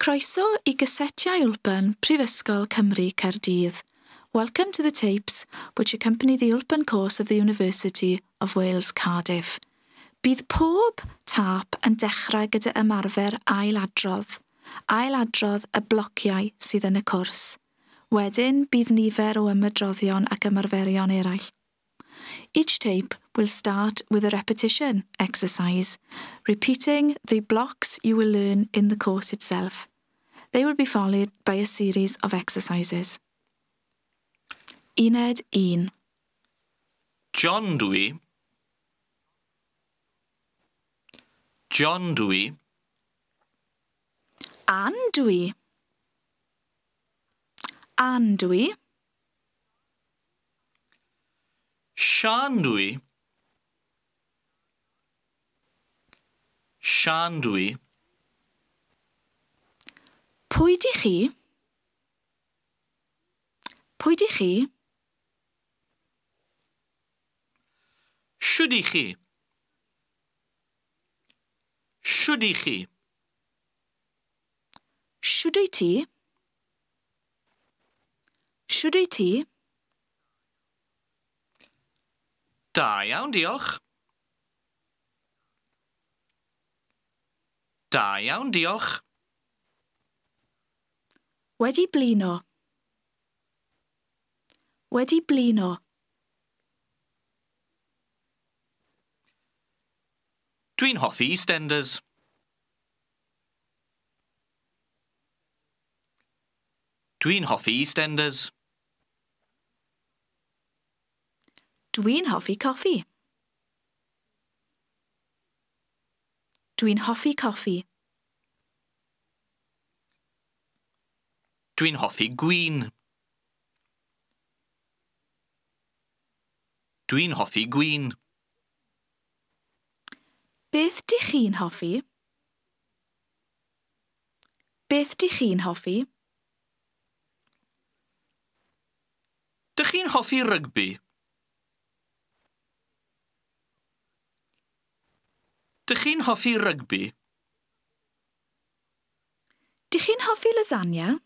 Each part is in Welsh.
Croeso i gysetiau Wlpan Prifysgol Cymru Caerdydd. Welcome to the tapes which accompany the Wlpan course of the University of Wales Cardiff. Bydd pob tâp yn dechrau gyda ymarfer ailadrodd. Ailadrodd y blociau sydd yn y cwrs. Wedyn bydd nifer o ymadroddion ac ymarferion eraill. Each tape will start with a repetition exercise, repeating the blocks you will learn in the course itself. They will be followed by a series of exercises. Uned 1. John dwi. John dwi. Ann dwi. Ann dwi. Sian dwi. Sian dwi. Pwy di chi? Pwy di chi? Shwd i chi? Shwd i chi? Shwd wyt ti? Shwd wyt ti? Da iawn, diolch. Da iawn, diolch. Wedi blino. Wedi blino. Dwi'n hoffi EastEnders. Dwi'n hoffi EastEnders. Dwi'n hoffi coffi. Dwi'n hoffi coffi. Dwi'n hoffi gwin. Dwi'n hoffi gwin. Beth dych chi'n hoffi? Beth dych chi'n hoffi? Dych chi'n hoffi rygbi? Dych chi'n hoffi rygbi? Dych chi'n hoffi lasagna?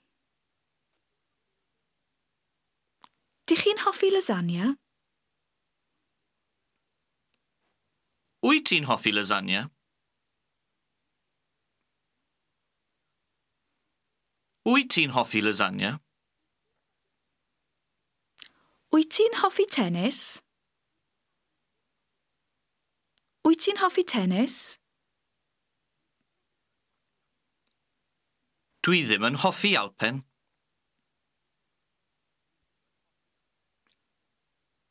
Dych chi'n hoffi lasagna? Wyt ti'n hoffi lasagna? Wyt ti'n hoffi lasagna? Wyt ti'n hoffi tennis? Wyt ti'n hoffi tennis? Dwi ddim yn hoffi Alpen.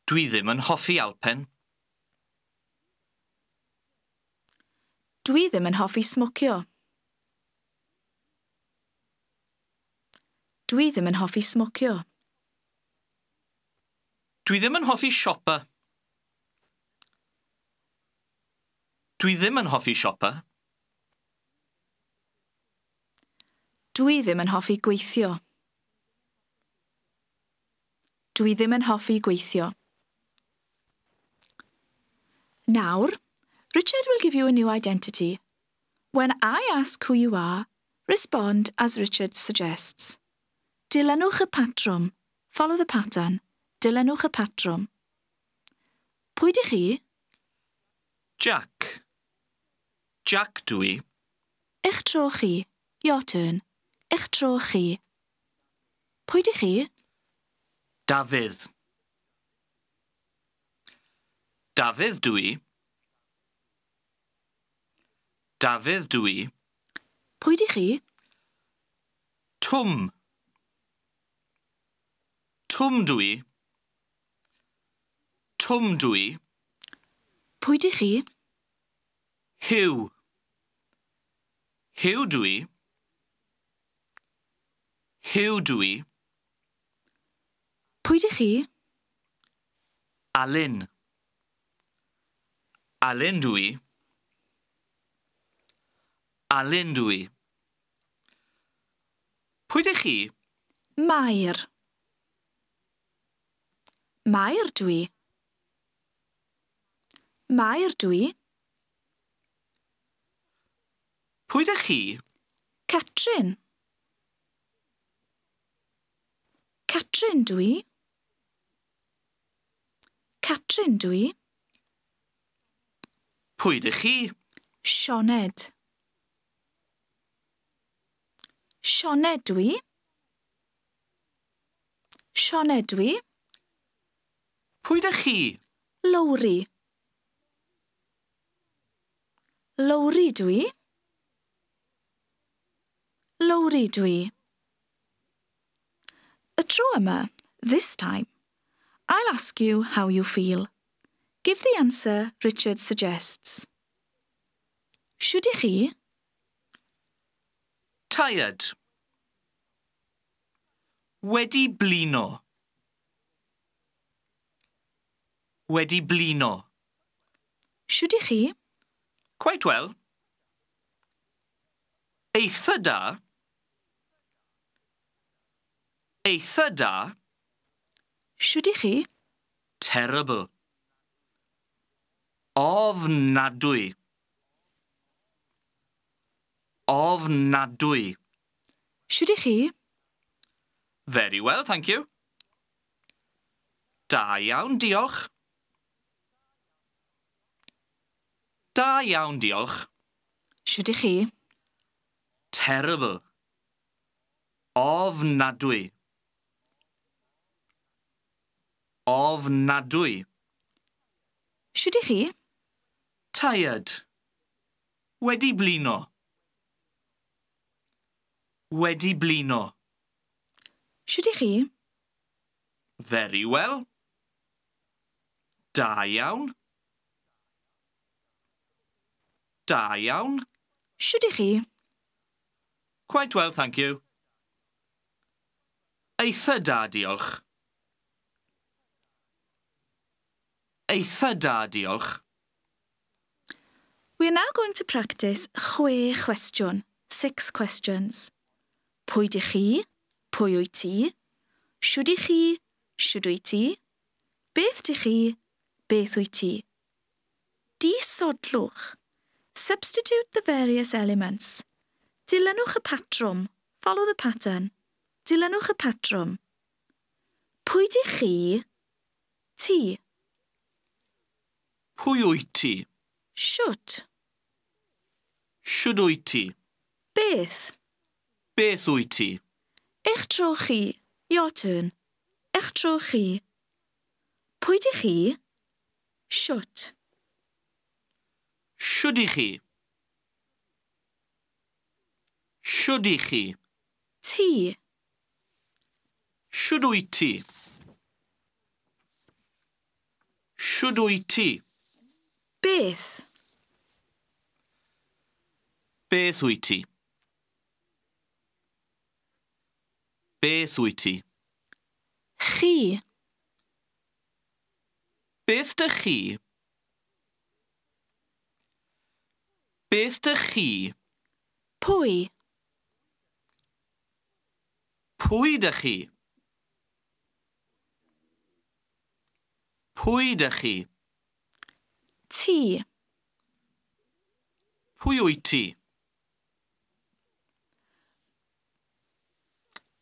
Dwi ddim yn hoffi Alpen. Dwi ddim yn hoffi smocio. Dwi ddim yn hoffi smocio. Dwi ddim yn hoffi siopa. Dwi ddim yn hoffi siopa. Dwi ddim yn hoffi gweithio. Dwi ddim yn hoffi gweithio. Nawr, Richard will give you a new identity. When I ask who you are, respond as Richard suggests. Dilynwch y patrwm. Follow the pattern. Dilynwch y patrwm. Pwy dych chi? Jack. Jack dwi. Eich tro chi. Your turn. Eich tro chi. Pwy dych chi? Dafydd. Dafydd dwi. Dafydd dwi. Pwy dych chi? Twm. Twm dwi. Twm dwi. Pwy dych chi? Huw. Huw dwi. Huw dwi. Pwy dych chi? Alun. Alun dwi. Alun dwi. Pwy dych chi? Mair. Mair dwi. Mair dwi. Pwy dych chi? Catrin. Catrin dwi. Catrin dwi. Pwy dych chi? Sioned. Sioned dwi. Sioned dwi. Pwy dych chi? Lowri. Lowri dwi. Lowri dwi. Y tro yma, this time, I'll ask you how you feel. Give the answer Richard suggests. Shwd i chi? Tired. Wedi blino. Wedi blino. Shwd i chi? Quite well. Eitha da. Eitha da. Shwd i chi? Terrible. Ofnadwy. Ofnadwy. Shwd i chi? Very well, thank you. Da iawn, diolch. Da iawn, diolch. Shwd i chi? Terrible. Ofnadwy. Ofnadwy. Shwd i chi? Tired. Wedi blino. Wedi blino. Shwd i chi? Very well. Da iawn. Da iawn. Shwd i chi? Quite well, thank you. Eitha da, diolch. Eitha da, diolch. We are now going to practice 6 cwestiwn, 6 questions. Pwy dych chi? Pwy wyt ti? Shwd i chi? Shwd wyt ti? Beth dych chi? Beth wyt ti? Disodlwch. Substitute the various elements. Dilynwch y patrwm. Follow the pattern. Dilynwch y patrwm. Pwy dych chi? Ti. Pwy wyt ti? Shwt. Shwd wyt ti? Beth. Beth wyt ti? Eich tro chi. Your turn. Eich tro chi. Pwy dych chi? Shwt. Shwd i chi? Shwd i chi? Ti. Shwd wyt ti? Shwd wyt ti? Beth. Beth wyt ti? Beth wyt ti? Chi. Beth dych chi? Beth dych chi? Pwy. Pwy dych chi? Pwy dych chi? Ti. Pwy wyt ti?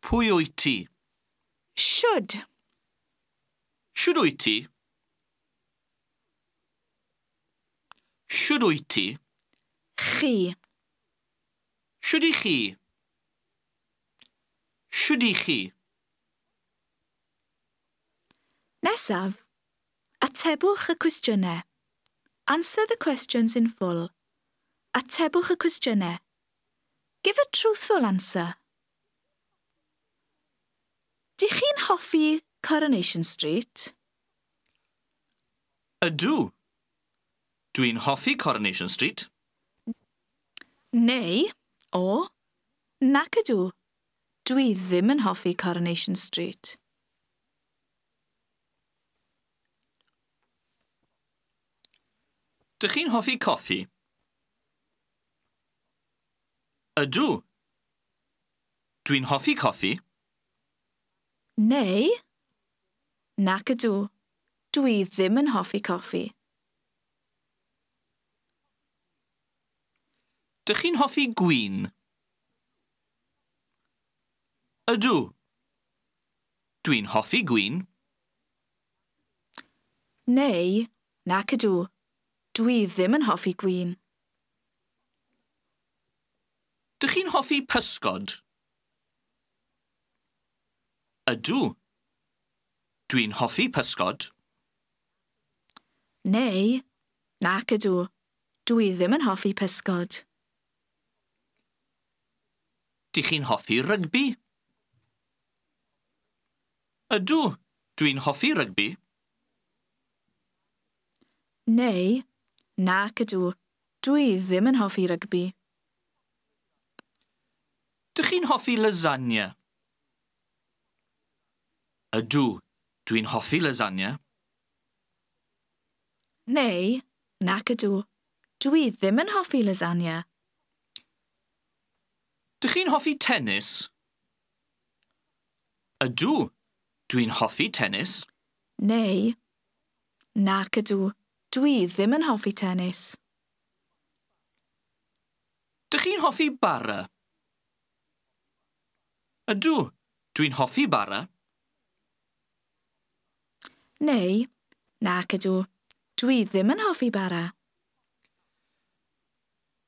Pwy wyt ti? Shwd. Shwd wyt ti? Shwd wyt ti? Chi. Shwd i chi? Shwd i chi? Nesaf, atebwch y cwestiynau. Answer the questions in full. Atebwch y cwestiynau. Give a truthful answer. Dych chi'n hoffi Coronation Street? Ydw. Dwi'n hoffi Coronation Street. Neu, o, nac ydw. Dwi ddim yn hoffi Coronation Street. Dych chi'n hoffi coffi? Ydw. Dwi'n hoffi coffi. Neu, nac ydw. Dwi ddim yn hoffi coffi. Dych chi'n hoffi gwin? Ydw. Dwi'n hoffi gwin. Neu, nac ydw, dwi ddim yn hoffi gwin. Dych chi'n hoffi pysgod? Ydw. Dwi'n hoffi pysgod. Neu, nac ydw, dwi ddim yn hoffi pysgod. Dych chi'n hoffi rygbi? Ydw, dwi'n hoffi rygbi. Neu, nac ydw, dwi ddim yn hoffi rygbi. Dych chi'n hoffi lasagna? Ydw, dwi'n hoffi lasagna. Neu, nac ydw, dwi ddim yn hoffi lasagna. Dych chi'n hoffi tennis? Ydw, dwi'n hoffi tennis. Neu, nac ydw, dwi ddim yn hoffi tennis. Dych chi'n hoffi bara? Ydw, dwi'n hoffi bara. Neu, nac ydw, dwi ddim yn hoffi bara.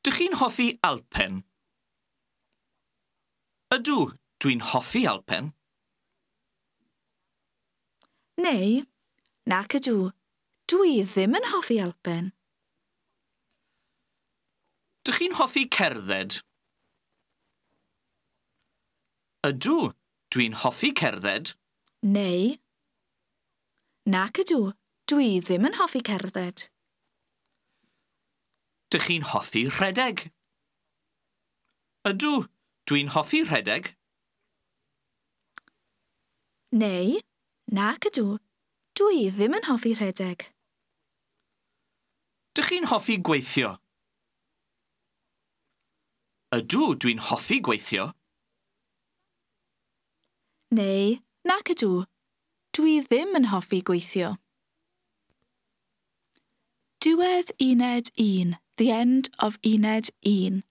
Dych chi'n hoffi Alpen? Ydw, dwi'n hoffi Alpen. Neu, nac ydw, dwi ddim yn hoffi Alpen. Dych chi'n hoffi cerdded? Ydw, dwi'n hoffi cerdded. Neu, nac ydw, dwi ddim yn hoffi cerdded. Dych chi'n hoffi rhedeg? Ydw, dwi'n hoffi rhedeg. Neu, nac ydw, dwi ddim yn hoffi rhedeg. Dych chi'n hoffi gweithio? Ydw, dwi'n hoffi gweithio. Neu, nac ydw, dwi ddim yn hoffi gweithio. Diwedd uned 1. The end of uned 1.